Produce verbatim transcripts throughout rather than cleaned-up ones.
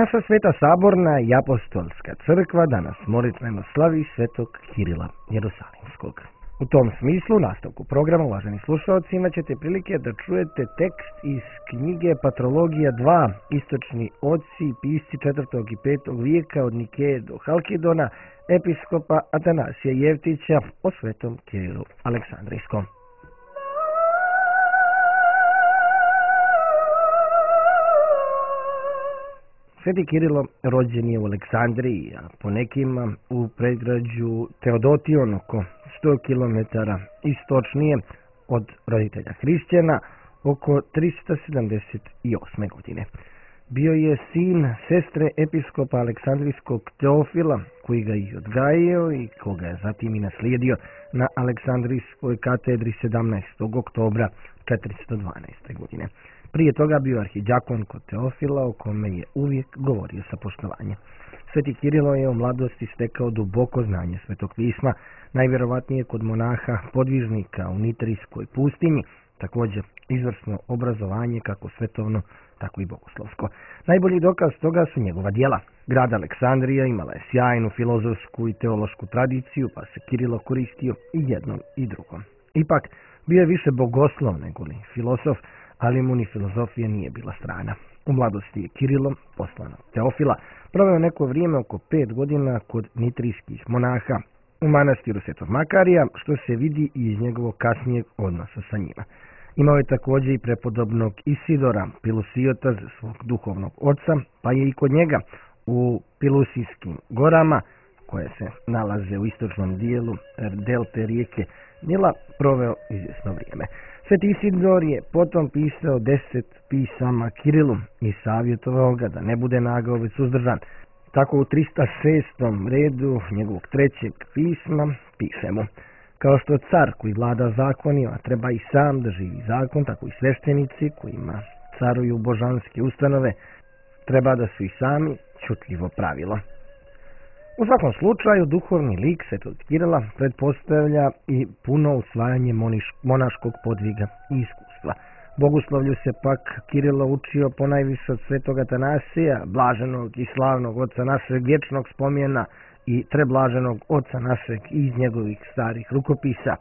Naša sveta saborna i apostolska crkva danas molitveno slavi svetog Kirila Jerusalimskog. U tom smislu, u nastavku programa, uvaženi slušalci, imat ćete prilike da čujete tekst iz knjige Patrologija dva, istočni oci i pisci četvrtog i petog vijeka od Nikeje do Halkidona, episkopa Atanasija Jevtića o svetom Kirilu Aleksandrijskom. Sveti Kirilo rođen je u Aleksandriji, a po nekima u predgrađu Teodotion, oko sto kilometara istočnije od roditelja hrišćana, oko tristo sedamdeset osme. godine. Bio je sin sestre episkopa Aleksandrijskog Teofila, koji ga je odgajio i koga je zatim i naslijedio na Aleksandrijskoj katedri sedamnaestog oktobra četiristo dvanaeste. godine. Prije toga bio arhidjakon kod Teofila, o kome je uvijek govorio sa poštovanjem. Sveti Kirilo je u mladosti stekao duboko znanje svetog pisma, najvjerovatnije kod monaha podvižnika u Nitrijskoj pustinji, također izvrsno obrazovanje kako svetovno, tako i bogoslovsko. Najbolji dokaz toga su njegova djela. Grad Aleksandrija imala je sjajnu filozofsku i teološku tradiciju, pa se Kirilo koristio i jednom i drugom. Ipak, bio je više bogoslov nego li filozof, ali mu ni filozofija nije bila strana. U mladosti je Kirilo, poslan od Teofila, proveo neko vrijeme oko pet godina kod nitrijskih monaha u manastiru Svetog Makarija, što se vidi i iz njegovog kasnijeg odnosa sa njima. Imao je također i prepodobnog Isidora Pilusijota za svog duhovnog oca, pa je i kod njega u Pilusijskim gorama, koje se nalaze u istočnom dijelu delte rijeke Nila, proveo izvjesno vrijeme. Sveti Isidor je potom pisao deset pisama Kirilu i savjetovao ga da ne bude nagao već suzdržan. Tako u tristo šestom redu njegovog trećeg pisma piše mu: kao što car koji vlada zakonima treba i sam da živi zakon, tako i sveštenici kojima caruju božanske ustanove treba da su i sami čutljivo pravilo. U svakom slučaju, duhovni lik svetog Kirila pretpostavlja i puno usvajanje moniš, monaškog podviga i iskustva. Bogoslovlju se pak Kirilo učio ponajviše od svetog Atanasija, blaženog i slavnog oca našeg vječnog spomena i treblaženog oca našeg iz njegovih starih rukopisa,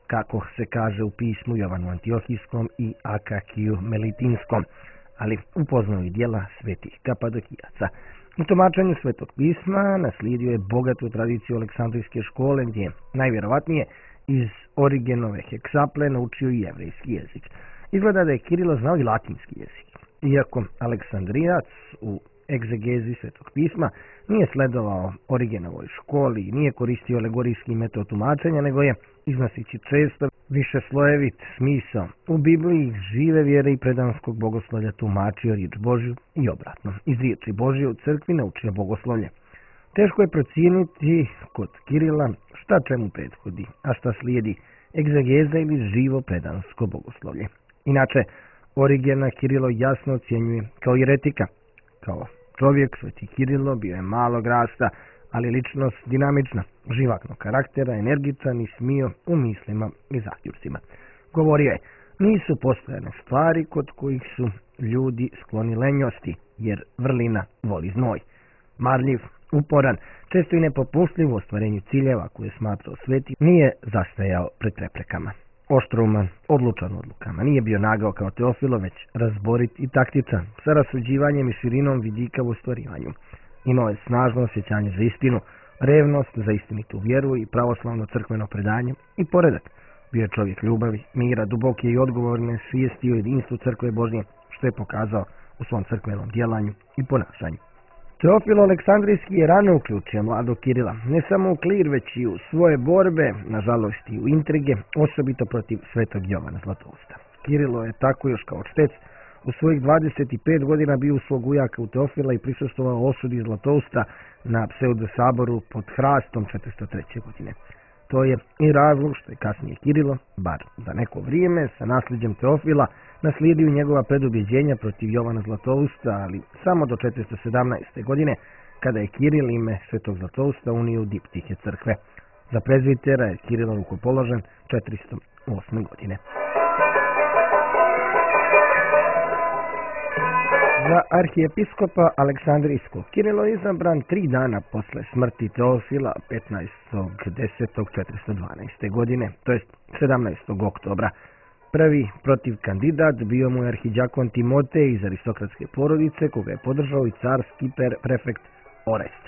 kako se kaže u pismu Jovanu Antiohijskom i Akakiju Melitinskom, ali upoznao i djela svetih Kapadokijaca. U tumačenju svetog pisma naslijedio je bogatu tradiciju Aleksandrijske škole, gdje je najvjerovatnije iz Origenove heksaple naučio i jevrejski jezik. Izgleda da je Kirilo znao i latinski jezik. Iako Aleksandrijac u egzegezi svetog pisma nije sledovao Origenovoj školi i nije koristio alegorijski metod tumačenja, nego je, iznosići često više slojevit smisao u Bibliji, žive vjere i predanskog bogoslovlja tumačio riječ Božju i obratno. Iz riječi Božje u crkvi naučio bogoslovlje. Teško je procijeniti kod Kirila šta čemu prethodi, a šta slijedi, egzegeza ili živo predansko bogoslovlje. Inače, Origena Kirilo jasno ocjenjuje kao jeretika. Kao čovjek, sveti Kirilo bio je malog rasta, ali ličnost dinamična, živaknog karaktera, energičan i smio u mislima i zaključcima. Govorio je: nisu postojane stvari kod kojih su ljudi skloni lenjosti, jer vrlina voli znoj. Marljiv, uporan, često i nepopustljiv u ostvarenju ciljeva koje je smatrao sveti, nije zastajao pred preprekama. Oštrouman, odlučan odlukama, nije bio nagao kao Teofilo, već razborit i taktičan, sa rasuđivanjem i širinom vidika u ostvarivanju. Imao je snažno osjećanje za istinu, revnost za istinitu vjeru i pravoslavno crkveno predanje i poredak. Bio je čovjek ljubavi, mira, duboke i odgovorne svijesti o jedinstvu crkve Božje, što je pokazao u svom crkvenom djelanju i ponašanju. Teofilo Aleksandrijski je rano uključio mladog Kirila, ne samo u klir, već i u svoje borbe, nažalost i u intrige, osobito protiv svetog Jovana Zlatousta. Kirilo je tako još kao čtec u svojih dvadeset pet godina bio u svog ujaka u Teofila i prisustvovao osudi Zlatousta na pseudosaboru pod Hrastom četiristo treće. godine. To je i razlog što je kasnije Kirilo, bar za neko vrijeme, sa nasljeđem Teofila naslijedio njegova predubjeđenja protiv Jovana Zlatousta, ali samo do četiristo sedamnaeste. godine, kada je Kiril ime svetog Zlatousta unio u diptihe crkve. Za prezvitera je Kirilo rukopoložen četiristo osme. godine. Za arhijepiskopa Aleksandrijskog Kirilo je izabran tri dana posle smrti Teofila petnaestog desetog četiristo dvanaeste. godine, to jest sedamnaestog oktobra. Prvi protiv kandidat bio mu je arhidjakon Timotej iz aristokratske porodice, koga je podržao i carski prefekt Orest.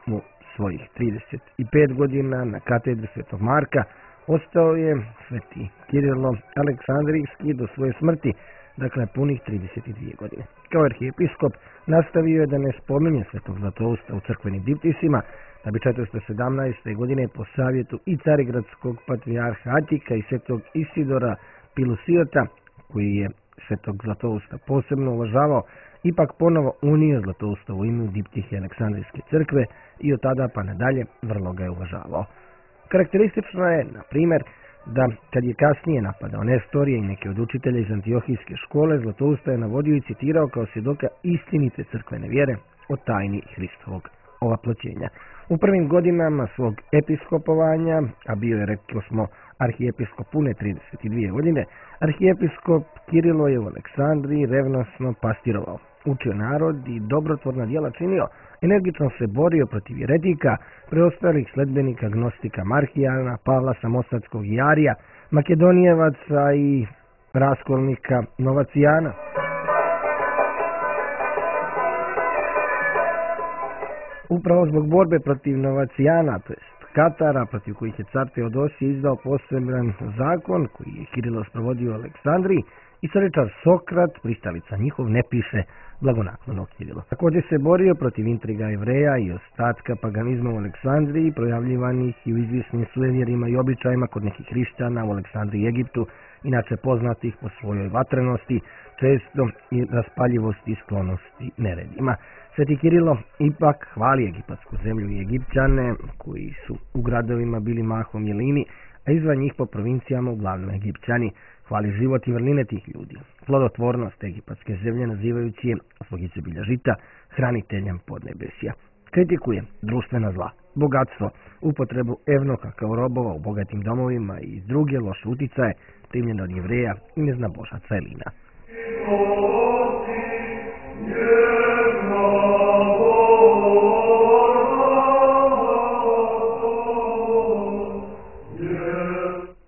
U svojih trideset pet godina na katedri Svetog Marka ostao je sveti Kirilo Aleksandrijski do svoje smrti, dakle punih trideset dvije godine. Kao arhijepiskop nastavio je da ne spominje Svetog Zlatousta u crkvenim diptisima, da bi četiristo sedamnaeste. godine po savjetu i carigradskog patrijarha Atika i svetog Isidora Pilusiota, koji je Svetog Zlatousta posebno uvažavao, ipak ponovo unio Zlatousta u ime diptihe Aleksandrijske crkve i od tada pa nadalje vrlo ga je uvažavao. Karakteristično je, na primjer, da kad je kasnije napadao Nestorije i neke od učitelja iz Antiohijske škole, Zlatousta je navodio i citirao kao svjedoka istinite crkvene vjere o tajni Hristovog ovaploćenja. U prvim godinama svog episkopovanja, a bio je, rekli smo, arhijepiskop pune trideset dvije godine, arhijepiskop Kirilo je u Aleksandriji revnosno pastirovao, učio narod i dobrotvorna djela činio, energično se borio protiv jeretika, preostalih sledbenika gnostika Marhijana, Pavla Samosadskog i Arija, Makedonijevaca i raskolnika Novacijana. Upravo zbog borbe protiv Novacijana, to jest Katara, protiv kojih je car Teodosije izdao poseban zakon koji je Kirilo sprovodio u Aleksandriji, istoričar Sokrat, pristalica njihov, ne piše blagonaklono Kirilo. Također se borio protiv intriga Jevreja i ostatka paganizma u Aleksandriji, projavljivanih i u izvisnim suevjerima i običajima kod nekih hrišćana u Aleksandriji i Egiptu, inače poznatih po svojoj vatrenosti, često i raspaljivosti i sklonosti neredima. Sveti Kirilo ipak hvali egipatsku zemlju i Egipćane, koji su u gradovima bili mahom jelini, a izvan njih po provincijama uglavnom Egipćani. Hvali život i vrline tih ljudi, plodotvornost egipatske zemlje, nazivajući je, zbog izobilja žita, hraniteljem podnebesja. Kritikuje društvena zla, bogatstvo, upotrebu evnoka kao robova u bogatim domovima i druge loše uticaje primljene od Jevreja i neznabožaca Elina.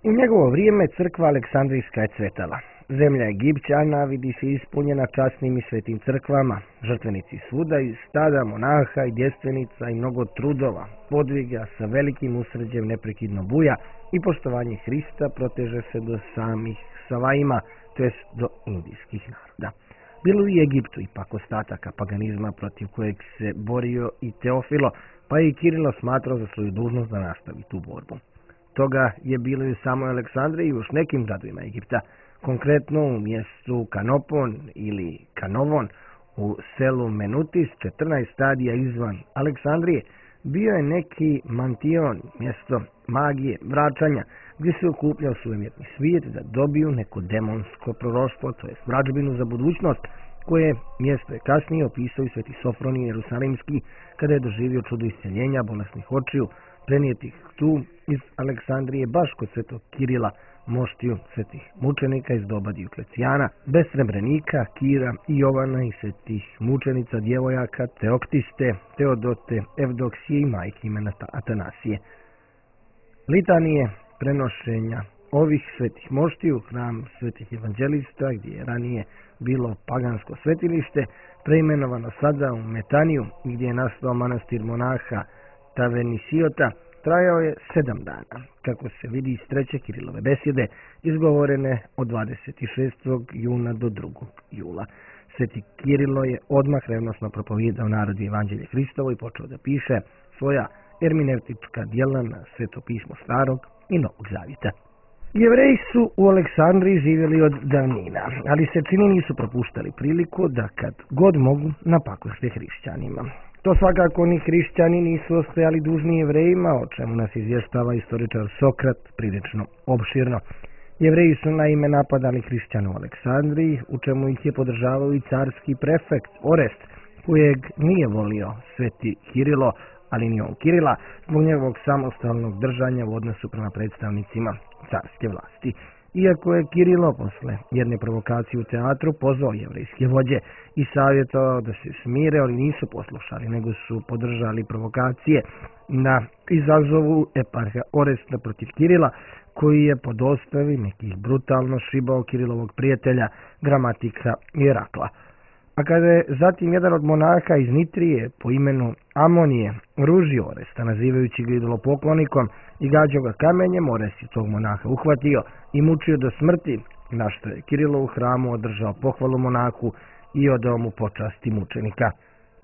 U njegovo vrijeme crkva Aleksandrijska je cvetala. Zemlja Egipćana vidi se ispunjena časnim i svetim crkvama, žrtvenici svuda iz stada monaha i djestvenica i mnogo trudova, podviga sa velikim usređem neprekidno buja i poštovanje Hrista proteže se do samih Savaima, to jest do indijskih naroda. Bilo i Egiptu ipak ostataka paganizma protiv kojeg se borio i Teofilo, pa je i Kirilo smatrao za svoju dužnost da nastavi tu borbu. Toga je bilo i u samoj Aleksandriji i još nekim gradovima Egipta, konkretno u mjestu Kanopon ili Kanovon u selu Menutis, četrnaest stadija izvan Aleksandrije, bio je neki mantion, mjesto magije, vraćanja, gdje se okupljao sujeverni svijet da dobiju neko demonsko proroštvo, to je vrađbinu za budućnost, koje mjesto je kasnije opisao i sveti Sofronij Jerusalimski kada je doživio čudo isceljenja bolesnih očiju, prenijetih tu iz Aleksandrije baš kod svetog Kirila, moštiju svetih mučenika iz doba Dioklecijana, bez Srebrenika, Kira i Jovana i svetih mučenica djevojaka Teoktiste, Teodote, Evdoksije i majke imena Atanasije. Litanije prenošenja ovih svetih moštiju, hram svetih evanđelista, gdje je ranije bilo pagansko svetilište, preimenovano sada u Metaniju, gdje je nastao manastir monaha Tavenisiota, trajao je sedam dana, kako se vidi iz treće Kirilove besjede, izgovorene od dvadeset šestog juna do drugog jula. Sveti Kirilo je odmah revnosno propovijedao narodu evanđelje Hristovo i počeo da piše svoja ermineutička djela na sveto pismo starog i novog zavjeta. Jevreji su u Aleksandriji živjeli od davnina, ali se čini nisu propuštali priliku da kad god mogu napakošte hrišćanima. To svakako ni hrišćani nisu ostajali dužni Jevrejima, o čemu nas izvještava istoričar Sokrat prilično opširno. Jevreji su naime napadali hrišćane u Aleksandriji, u čemu ih je podržavao i carski prefekt Orest, kojeg nije volio sveti Kirilo, ali ni on Kirila, zbog njegovog samostalnog držanja u odnosu prema predstavnicima carske vlasti. Iako je Kirilo posle jedne provokacije u teatru pozvao jevrejske vođe i savjetovao da se smire, ali nisu poslušali, nego su podržali provokacije na izazovu eparha Oresta protiv Kirila, koji je po dostavi nekih brutalno šibao Kirilovog prijatelja, gramatika Irakla. A kada je zatim jedan od monaha iz Nitrije po imenu Amonije ružio Oresta, nazivajući ga idolopoklonikom i gađao ga kamenjem, Orest je tog monaha uhvatio i mučio do smrti, na što je Kirilo u hramu održao pohvalu monahu i odao mu počasti mučenika.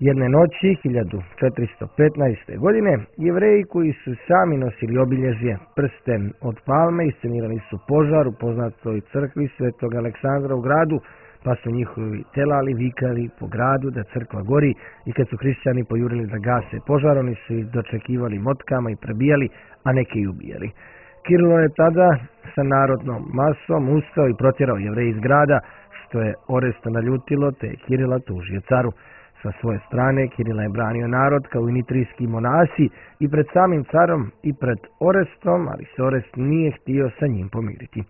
Jedne noći, hiljadu četiristo petnaeste. godine, Jevreji koji su sami nosili obilježje prsten od palme iscenirali su požar u poznatoj crkvi Svetog Aleksandra u gradu, pa su njihovi telali vikali po gradu da crkva gori i kad su hrišćani pojurili da gase požar, oni su ih dočekivali motkama i prebijali, a neke i ubijali. Kirilo je tada sa narodnom masom ustao i protjerao Jevreji iz grada, što je Oresta naljutilo, te je Kirila tužio caru. Sa svoje strane Kirila je branio narod kao i nitrijski monasi i pred samim carom i pred Orestom, ali se Orest nije htio sa njim pomiriti.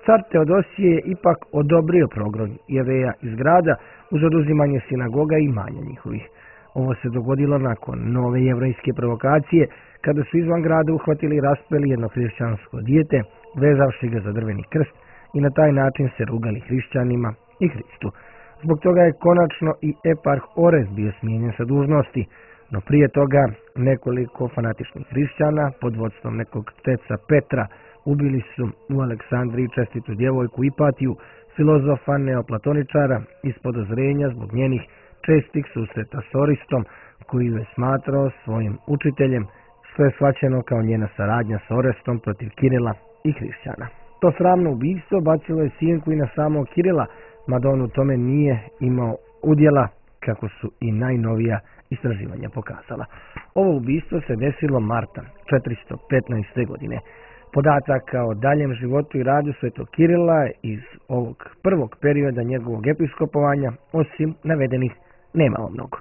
Car Teodosije je ipak odobrio progon Jevreja iz grada uz oduzimanje sinagoga i imanja njihovih. Ovo se dogodilo nakon nove jevrejske provokacije, kada su izvan grada uhvatili i raspeli jedno hrišćansko dijete, vezavši ga za drveni krst i na taj način se rugali hrišćanima i Hristu. Zbog toga je konačno i eparh Orest bio smijenjen sa dužnosti, no prije toga nekoliko fanatičnih hrišćana pod vodstvom nekog teca Petra ubili su u Aleksandriji čestitu djevojku Ipatiju, filozofa neoplatoničara, iz podozrenja zbog njenih čestih susreta s Oristom, koji je smatrao svojim učiteljem, što je shvaćeno kao njena saradnja s Orestom protiv Kirila i hrišćana. To sramno ubistvo bacilo je sjenku i na samog Kirila, mada on u tome nije imao udjela, kako su i najnovija istraživanja pokazala. Ovo ubistvo se desilo marta četiristo petnaeste. godine. Podataka o daljem životu i radu svetog Kirila iz ovog prvog perioda njegovog episkopovanja, osim navedenih, nemamo mnogo.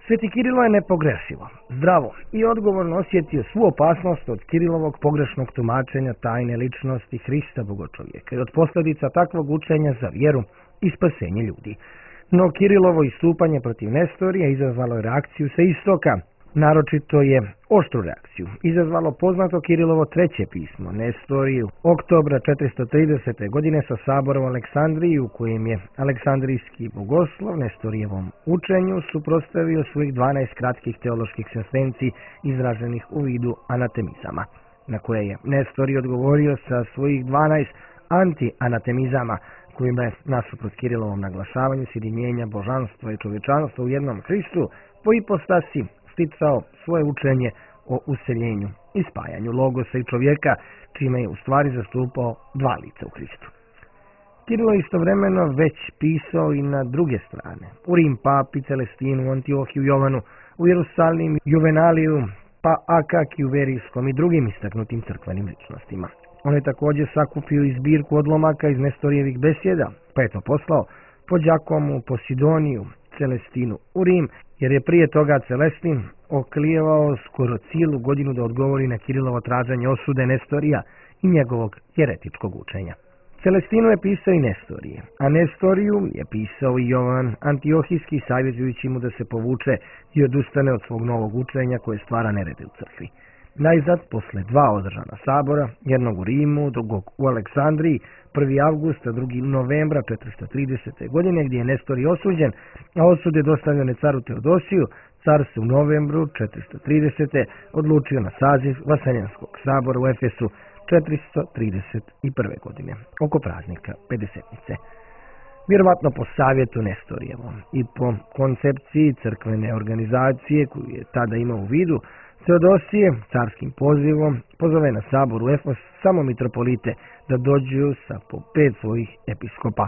Sveti Kirilo je nepogrešivo, zdravo i odgovorno osjetio svu opasnost od Kirilovog pogrešnog tumačenja tajne ličnosti Hrista Bogočovjeka i od posljedica takvog učenja za vjeru i spasenje ljudi. No Kirilovo istupanje protiv Nestorija izazvalo je reakciju sa istoka, naročito je oštru reakciju izazvalo poznato Kirilovo treće pismo Nestoriju oktobra četiristo tridesete. godine sa saborom u Aleksandriji, u kojem je aleksandrijski bogoslov Nestorijevom učenju suprotstavio svojih dvanaest kratkih teoloških sentenci izraženih u vidu anatemizama, na koje je Nestorij odgovorio sa svojih dvanaest anti-anatemizama, kojima je nasuprot Kirilovom naglašavanju sjedinjenja božanstva i čovječanstva u jednom Hristu po ipostasi sticao svoje učenje o useljenju i spajanju logosa i čovjeka, čime je u stvari zastupao dva lica u Hristu. Kirilo je istovremeno već pisao i na druge strane, u Rim papi, Celestinu, Antiohiju, Jovanu, u Jerusalim, Juvenaliju, pa Akakiju Verijskom i drugim istaknutim crkvenim ličnostima. On je također sakupio i zbirku odlomaka iz Nestorijevih besjeda, pa je to poslao po Đakomu, po Sidoniju, Celestinu u Rim, jer je prije toga Celestin oklijevao skoro cijelu godinu da odgovori na Kirilovo traženje osude Nestorija i njegovog jeretičkog učenja. Celestinu je pisao i Nestorije, a Nestoriju je pisao i Jovan Antiohijski, savjetujući mu da se povuče i odustane od svog novog učenja koje stvara nerede u crkvi. Najzad, posle dva održana sabora, jednog u Rimu, drugog u Aleksandriji, prvi avgust, a drugi novembra četiristo tridesete. godine, gdje je Nestorij osuđen, a osud je dostavljene caru Teodosiju, car se u novembru četiristo tridesete. odlučio na saziv Vaseljenskog sabora u Efesu četiristo trideset prve. godine, oko praznika Pedesetnice. Vjerovatno po savjetu Nestorijevom i po koncepciji crkvene organizacije koju je tada imao u vidu, Teodosije carskim pozivom pozove na sabor u Efes samo mitropolite da dođu sa po pet svojih episkopa.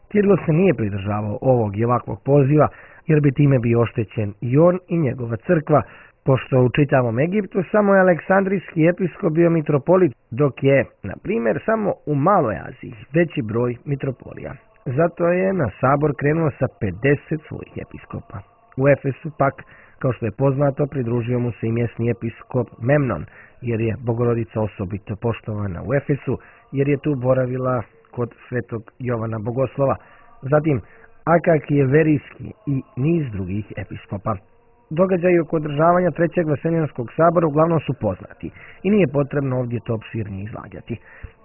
Kirilo se nije pridržavao ovog i ovakvog poziva, jer bi time bio oštećen i on i njegova crkva, pošto u čitavom Egiptu samo je aleksandrijski episkop bio mitropolit, dok je, na primjer, samo u Maloj Aziji veći broj mitropolija. Zato je na sabor krenuo sa pedeset svojih episkopa. U Efesu pak, kao što je poznato, pridružio mu se i mjesni episkop Memnon, jer je Bogorodica osobito poštovana u Efesu, jer je tu boravila kod svetog Jovana Bogoslova. Zatim Akakijeverijski i niz drugih episkopa. Događaji oko održavanja trećeg Vaseljenskog sabora uglavnom su poznati i nije potrebno ovdje to opširnije izlagati.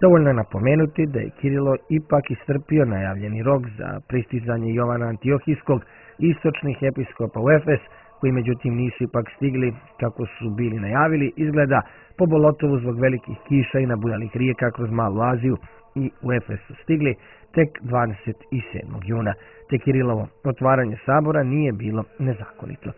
Dovoljno je napomenuti da je Kirilo ipak istrpio najavljeni rok za pristizanje Jovana Antiohijskog i istočnih episkopa u Efes, koji međutim nisu ipak stigli kako su bili najavili, izgleda po Bolotovu zbog velikih kiša i nabujalih rijeka kroz Malu Aziju, i u Efes su stigli tek dvadeset sedmog juna, te Kirilovo otvaranje sabora nije bilo nezakonito.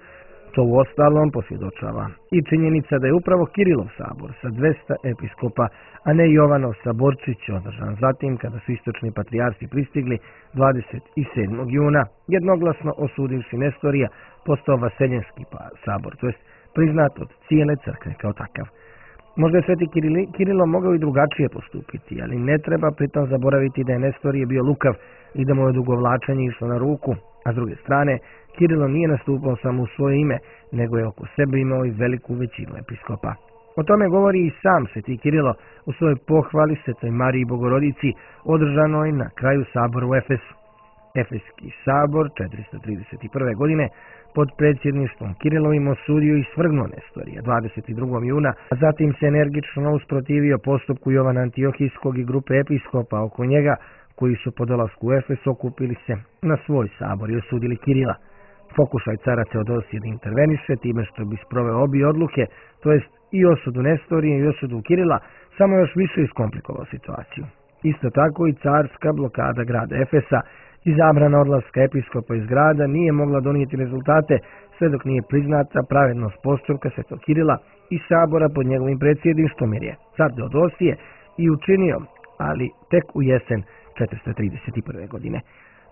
To u ostalom posvjedočava i činjenica da je upravo Kirilov sabor sa dvesta episkopa, a ne Jovanov saborčić održan zatim kada su istočni patrijarsi pristigli dvadeset sedmog juna, jednoglasno osudivši Nestorija, postao Vaseljenski sabor, to jest priznat od cijele crkve kao takav. Možda je sveti Kirilo mogao i drugačije postupiti, ali ne treba pritom zaboraviti da je Nestorije bio lukav i da mu je odugovlačenje išlo na ruku, a s druge strane, Kirilo nije nastupao samo u svoje ime, nego je oko sebe imao i veliku većinu episkopa. O tome govori i sam sveti Kirilo u svojoj pohvali Svetoj Mariji Bogorodici, održanoj na kraju sabora u Efesu. Efeski sabor četiristo trideset prve. godine pod predsjedništvom Kirilovim osudio i svrgnuo Nestorija dvadeset drugog juna, a zatim se energično usprotivio postupku Jovana Antiohijskog i grupe episkopa oko njega, koji su po dolasku u Efes okupili se na svoj sabor i osudili Kirila. Pokušaj cara Teodosije da interveniše time što bi sproveo obje odluke, to jest i osudu Nestorije i osudu Kirila, samo još više iskomplikovao situaciju. Isto tako i carska blokada grada Efesa i zabrana odlaska episkopa iz grada nije mogla donijeti rezultate sve dok nije priznata pravednost postupka svetog Kirila i sabora pod njegovim predsjedništvom, jer je car Teodosije i učinio, ali tek u jesen četiristo trideset prve. godine.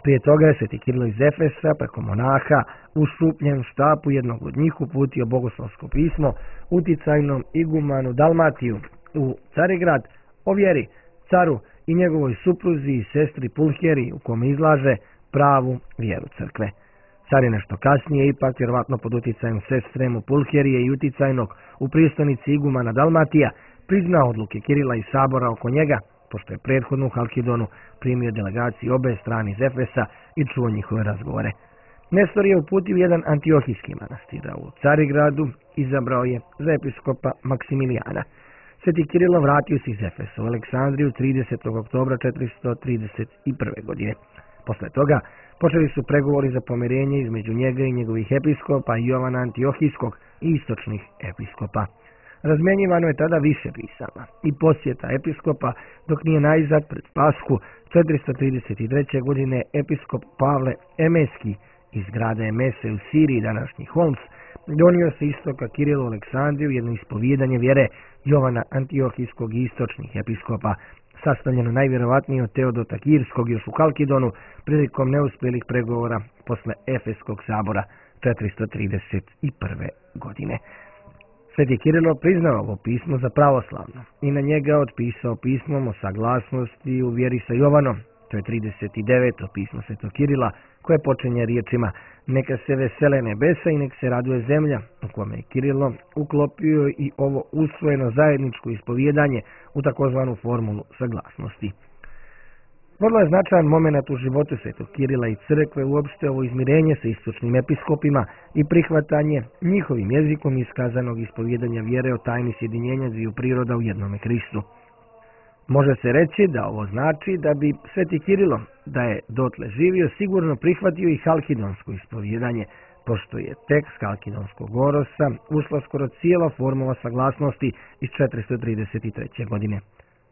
Prije toga je sveti Kirilo iz Efesa preko monaha u šupljem štapu jednog od njih uputio bogoslovsko pismo uticajnom igumanu Dalmatiju u Carigrad o vjeri, caru i njegovoj supruzi i sestri Pulheri, u kome izlaže pravu vjeru crkve. Car je nešto kasnije, ipak vjerovatno pod uticajem sestre mu Pulherije i uticajnog u prijestolnici igumana Dalmatija, priznao odluke Kirila i sabora oko njega, pošto je prethodno u Halkidonu primio delegaciju obe strane iz Efesa i čuo njihove razgovore. Nestor je uputio jedan antiohijski manastir, a u Carigradu izabrao je za episkopa Maksimilijana. Sveti Kirilo vratio se iz Efesa u Aleksandriju tridesetog oktobra četiristo trideset prve. godine. Posle toga počeli su pregovori za pomirenje između njega i njegovih episkopa i Jovana Antiohijskog i istočnih episkopa. Razmjenjivano je tada više pisama i posjeta episkopa, dok nije najzad pred Pashu četiristo trideset treće. godine episkop Pavle Emeski iz grada Emese u Siriji, današnji Homs, donio se istoka Kirilu u Aleksandriju jedno ispovijedanje vjere Jovana Antiohijskog i istočnih episkopa, sastavljeno najvjerovatnije od Teodota Kirskog još u Halkidonu prilikom neuspjelih pregovora posle Efeskog sabora četiristo trideset prve. godine. Sveti Kirilo priznao ovo pismo za pravoslavno i na njega otpisao pismom o saglasnosti u vjeri sa Jovanom. To je trideset deveto pismo svetog Kirila, koje počinje riječima: neka se vesele nebesa i nek se raduje zemlja, u kome je Kirilo uklopio i ovo usvojeno zajedničko ispovjedanje u takozvanu formulu saglasnosti. Vrlo je značajan moment u životu svetog Kirila i crkve uopšte ovo izmirenje sa istočnim episkopima i prihvatanje njihovim jezikom iskazanog ispovjedanja vjere o tajni sjedinjenja dviju priroda u jednome Hristu. Može se reći da ovo znači da bi sveti Kirilo, da je dotle živio, sigurno prihvatio i halkidonsko ispovjedanje, pošto je tekst halkidonskog orosa ušla skoro cijela formula saglasnosti iz četiristo trideset treće. godine.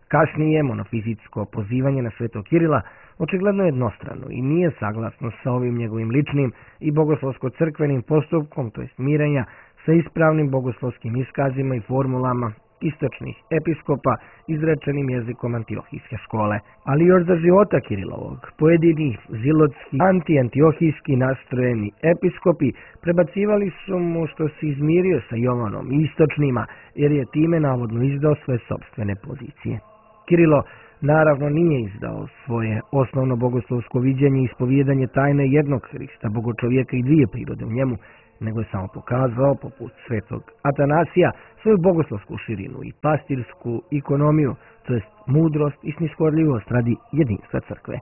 Kasnije monofizitsko pozivanje na svetog Kirila očigledno je jednostrano i nije saglasno sa ovim njegovim ličnim i bogoslovsko-crkvenim postupkom, to jest mirenja sa ispravnim bogoslovskim iskazima i formulama istočnih episkopa izrečenim jezikom antiohijske škole. Ali još za života Kirilovog pojedini zilotski anti-antiohijski nastrojeni episkopi prebacivali su mu što se izmirio sa Jovanom i istočnima, jer je time navodno izdao svoje sopstvene pozicije. Kirilo Naravno nije izdao svoje osnovno bogoslovsko viđenje i ispovijedanje tajne jednog Hrista, bogočovjeka i dvije prirode u njemu, nego je samo pokazao, poput svetog Atanasija, svoju bogoslovsku širinu i pastirsku ekonomiju, to jest mudrost i snishodljivost radi jedinstva crkve.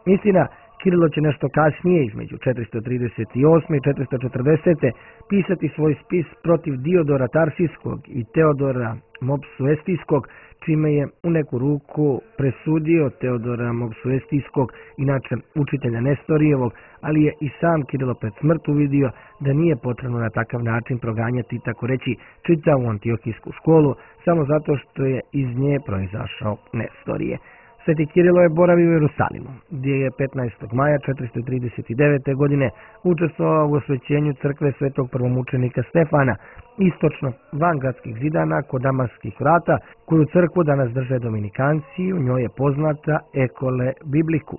Istina, Kirilo će nešto kasnije, između četiristo trideset osme i četiristo četrdesete pisati svoj spis protiv Diodora Tarsijskog i Teodora Mopsuestijskog, čime je u neku ruku presudio Teodora Mopsuestijskog, inače učitelja Nestorijevog, ali je i sam Kirilo pred smrt uvidio da nije potrebno na takav način proganjati, tako reći, čitavu antiohijsku školu, samo zato što je iz nje proizašao Nestorije. Sveti Kirilo je boravio u Jerusalimu, gdje je petnaestog maja četiristo trideset devete. godine učestvovao u osvećenju crkve svetog prvomučenika Stefana, istočno van gradskih zidana kod Damaskih vrata, koju crkvu danas drže dominikanci i u njoj je poznata Ekole Bibliku.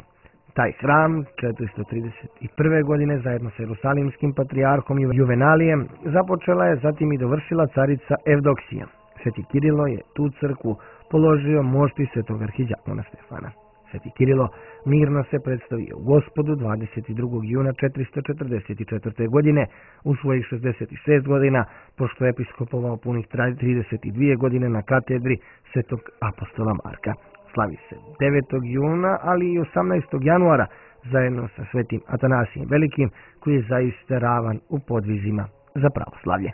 Taj hram četiristo trideset prve. godine zajedno sa jerusalimskim patrijarhom Juvenalijem započela je, zatim i dovršila carica Evdoksija. Sveti Kirilo je tu crkvu položio mošti svetog arhidijakona Stefana. Sveti Kirilo mirno se predstavio Gospodu dvadeset drugog juna četiristo četrdeset četvrte. godine u svojih šezdeset šest godina, pošto je episkopovao punih trideset dvije godine na katedri svetog apostola Marka. Slavi se devetog juna, ali i osamnaestog januara, zajedno sa svetim Atanasijem Velikim, koji je zaista ravan u podvizima za pravoslavlje.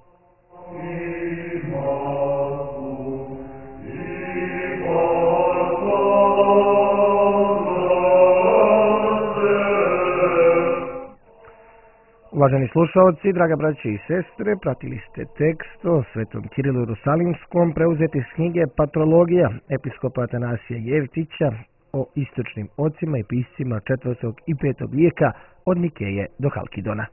Uvaženi slušalci, draga braće i sestre, pratili ste tekst o svetom Kirilu Jerusalimskom preuzeti iz knjige Patrologija episkopa Atanasija Jevtića o istočnim ocima i piscima četvrtog i petog vijeka od Nikeje do Halkidona.